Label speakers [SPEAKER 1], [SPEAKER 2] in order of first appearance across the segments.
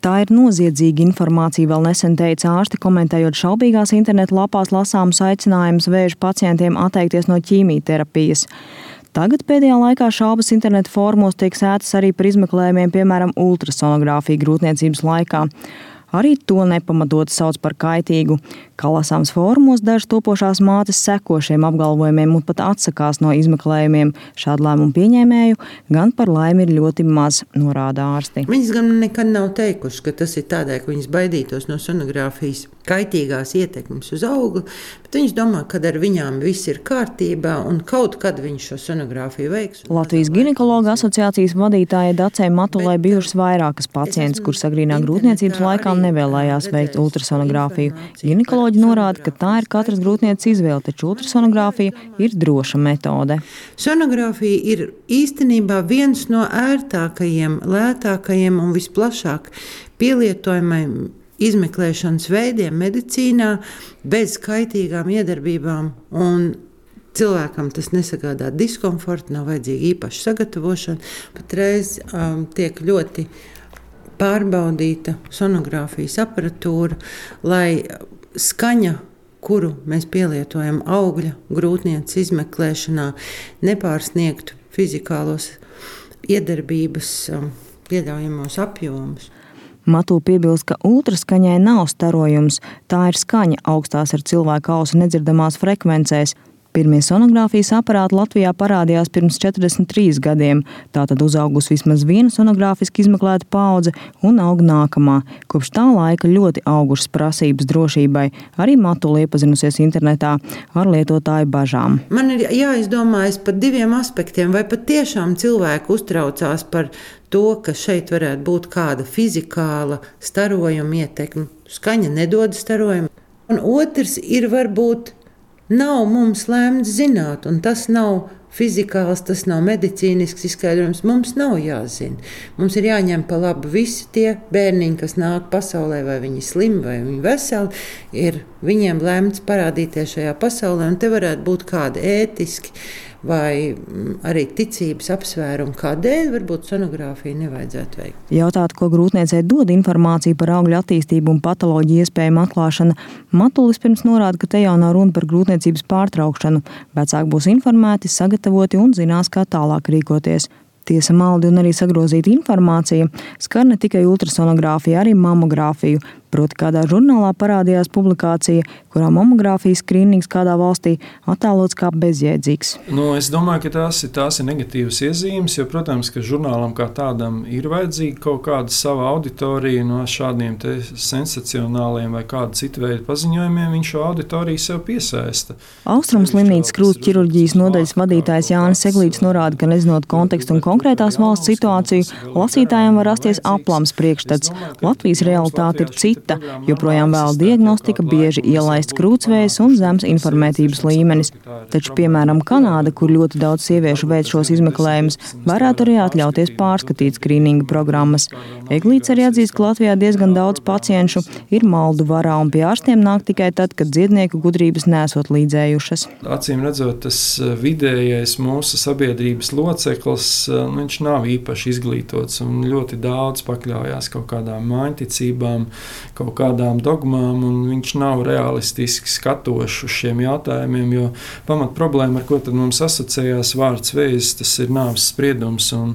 [SPEAKER 1] Tā ir noziedzīga informācija, vēl nesen teica ārsti, komentējot šaubīgās interneta lapās lasāmus aicinājumus vēža pacientiem atteikties no ķīmijterapijas. Tagad pēdējā laikā šaubas interneta fórumos tiek sētas arī par izmeklējumiem, piemēram, ultrasonogrāfiju grūtniecības laikā. Arī to nepamatoti sauc par kaitīgu. Kā lasāms fórumos, dažas topošās mātes seko šiem apgalvojumiem un pat atsakās no izmeklējumiem. Šādu lēmumu pieņēmēju gan par laimi ir ļoti maz, norāda ārsti.
[SPEAKER 2] Viņas gan nekad nav teikuši, ka tas ir tādēļ, ka viņas baidītos no sonogrāfijas kaitīgās ietekmes uz augli, bet viņas domā, ka ar viņām viss ir kārtībā un kaut kad viņš šo sonogrāfiju veiks.
[SPEAKER 1] Latvijas ginekologa asociācijas vadītāja Dacei Matulai bijušas vairākas pacientes, kuras agrīnā grūtniecības laikā nevēlējās veikt ultrasonogrāfiju. Ginekoloģi norāda, ka tā ir katras grūtnieces izvēle, taču ultrasonogrāfija ir droša metode.
[SPEAKER 2] Sonogrāfija ir īstenībā viens no ērtākajiem, lētākajiem un visplašāk pielietojamajiem izmeklēšanas veidiem medicīnā bez kaitīgām iedarbībām, un cilvēkam tas nesagādā diskomfortu, nav vajadzīga īpaša sagatavošana. Patreiz tiek ļoti pārbaudīta sonogrāfijas aparatūra, lai skaņa, kuru mēs pielietojam augļa grūtnieces izmeklēšanā, nepārsniegtu fizikālos iedarbības pieļaujamos apjomus.
[SPEAKER 1] Matula piebilst, ka ultraskaņai nav starojums, tā ir skaņa augstās ar cilvēka ausu nedzirdamās frekvencēs. Pirmie sonogrāfijas aparāti Latvijā parādījās pirms 43 gadiem, tātad uzaugus vismaz viena sonogrāfiski izmeklēta paudze un aug nākamā. Kopš tā laika ļoti augušas prasības drošībai, arī Matula iepazinusies internetā ar lietotāju bažām.
[SPEAKER 2] Man ir jāizdomājas par diviem aspektiem, vai patiešām cilvēki uztraucās par to, ka šeit varētu būt kāda fizikāla starojuma ietekme. Skaņa nedod starojumu. Un otrs ir varbūt nav mums lēmts zināt, un tas nav fizikāls, tas nav medicīnisks izskaidrojums. Mums nav jāzina. Mums ir jāņem pa labu visi tie bērniņi, kas nāk pasaulē, vai viņi slimi, vai viņi veseli, ir viņiem lēmts parādīties šajā pasaulē, un te varētu būt kādi ētiski vai arī ticības apsvērumi, kādēļ varbūt sonogrāfiju nevajadzētu veikt.
[SPEAKER 1] Jautāt, ko grūtniecei dod informācija par augļu attīstību un patoloģiju iespējamu atklāšana, Matulis pirms norāda, ka te jau nav runa par grūtniecības pārtraukšanu. Vecāki būs informēti, sagatavoti un zinās, kā tālāk rīkoties. Tiesa maldi un arī sagrozīta informācija skar ne tikai ultrasonogrāfiju, arī mamogrāfiju. Proti kādā žurnālā parādījās publikācija, kurā mamogrāfijas skrīnings kādā valstī attēlots kā bezjēdzīgs.
[SPEAKER 3] Es domāju, ka tās ir negatīvas iezīmes, jo, protams, ka žurnālam kā tādam ir vajadzīga kaut kāda sava auditorija no šādiem te sensacionāliem vai kāda cita veida paziņojumiem, viņš šo auditoriju sev piesaista.
[SPEAKER 1] Austrumu slimnīcas krūts ķirurģijas nodaļas vadītājs Jānis Seglītis norāda, ka nezinot kontekstu un konkrētās valsts situāciju, lasītājiem var rasties aplams priekšstats. Latvijas realitāte ir cita. Joprojām vēl diagnostika, bieži ielaists krūtsvējs un zems informētības līmenis. Taču, piemēram, Kanāda, kur ļoti daudz sieviešu veic šos izmeklējumus, varētu arī atļauties pārskatīt skrīninga programmas. Eglīts arī atzīst, ka Latvijā diezgan daudz pacienšu ir maldu varā un pie ārstiem nāk tikai tad, kad dziednieku gudrības nesot līdzējušas.
[SPEAKER 3] Acīm redzot, tas vidējais mūsu sabiedrības loceklis, viņš nav īpaši izglītots un ļoti daudz pakļaujās kaut kādām māņticībām, kaut kādām dogmām, un viņš nav realistiski skatošs uz šiem jautājumiem, jo pamat problēma, ar ko tad mums asociējās vārds vēzis, tas ir nāves spriedums, un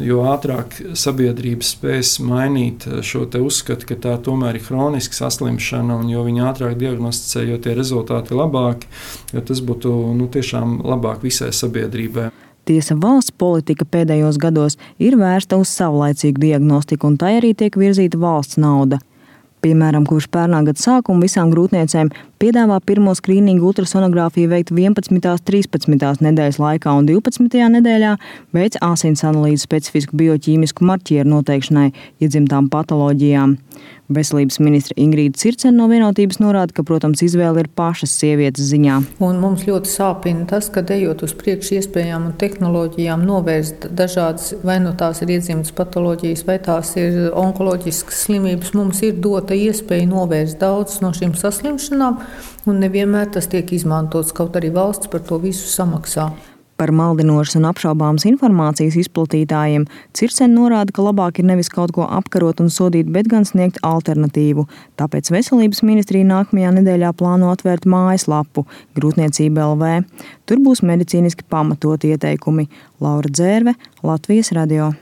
[SPEAKER 3] jo ātrāk sabiedrība spēs mainīt šo te uzskatu, ka tā tomēr ir hroniska saslimšana, un jo viņi ātrāk diagnosticē, jo tie rezultāti ir labāki, jo tas būtu tiešām labāk visai sabiedrībai.
[SPEAKER 1] Tiesa, valsts politika pēdējos gados ir vērsta uz savlaicīgu diagnostiku, un tai arī tiek virzīta valsts nauda. Piemēram, kopš pērnā gada sākuma visām grūtniecēm piedāvā pirmo skrīningu ultrasonogrāfiju veikt 11. 13. nedēļas laikā un 12. nedēļā veic asins analīzi specifisku bioķīmisku marķieru noteikšanai iedzimtām patoloģijām. Veselības ministre Ingrīda Circene no Vienotības norāda, ka, protams, izvēle ir pašas sievietes ziņā.
[SPEAKER 4] Un mums ļoti sāpina tas, ka ejot uz priekšu iespējām un tehnoloģijām novērst dažādas, vai no tās ir iedzimtas patoloģijas, vai tās ir onkoloģiskas slimības, mums ir dota iespēja novērst daudz no šīm saslimšanām, un nevienmēr tas tiek izmantots, kaut arī valsts par to visu samaksā.
[SPEAKER 1] Par maldinošas un apšaubāmas informācijas izplatītājiem Circene norāda, ka labāk ir nevis kaut ko apkarot un sodīt, bet gan sniegt alternatīvu. Tāpēc Veselības ministrija nākamajā nedēļā plāno atvērt mājaslapu Grūtniecība LV. Tur būs medicīniski pamatoti ieteikumi. Laura Dzērve, Latvijas radio.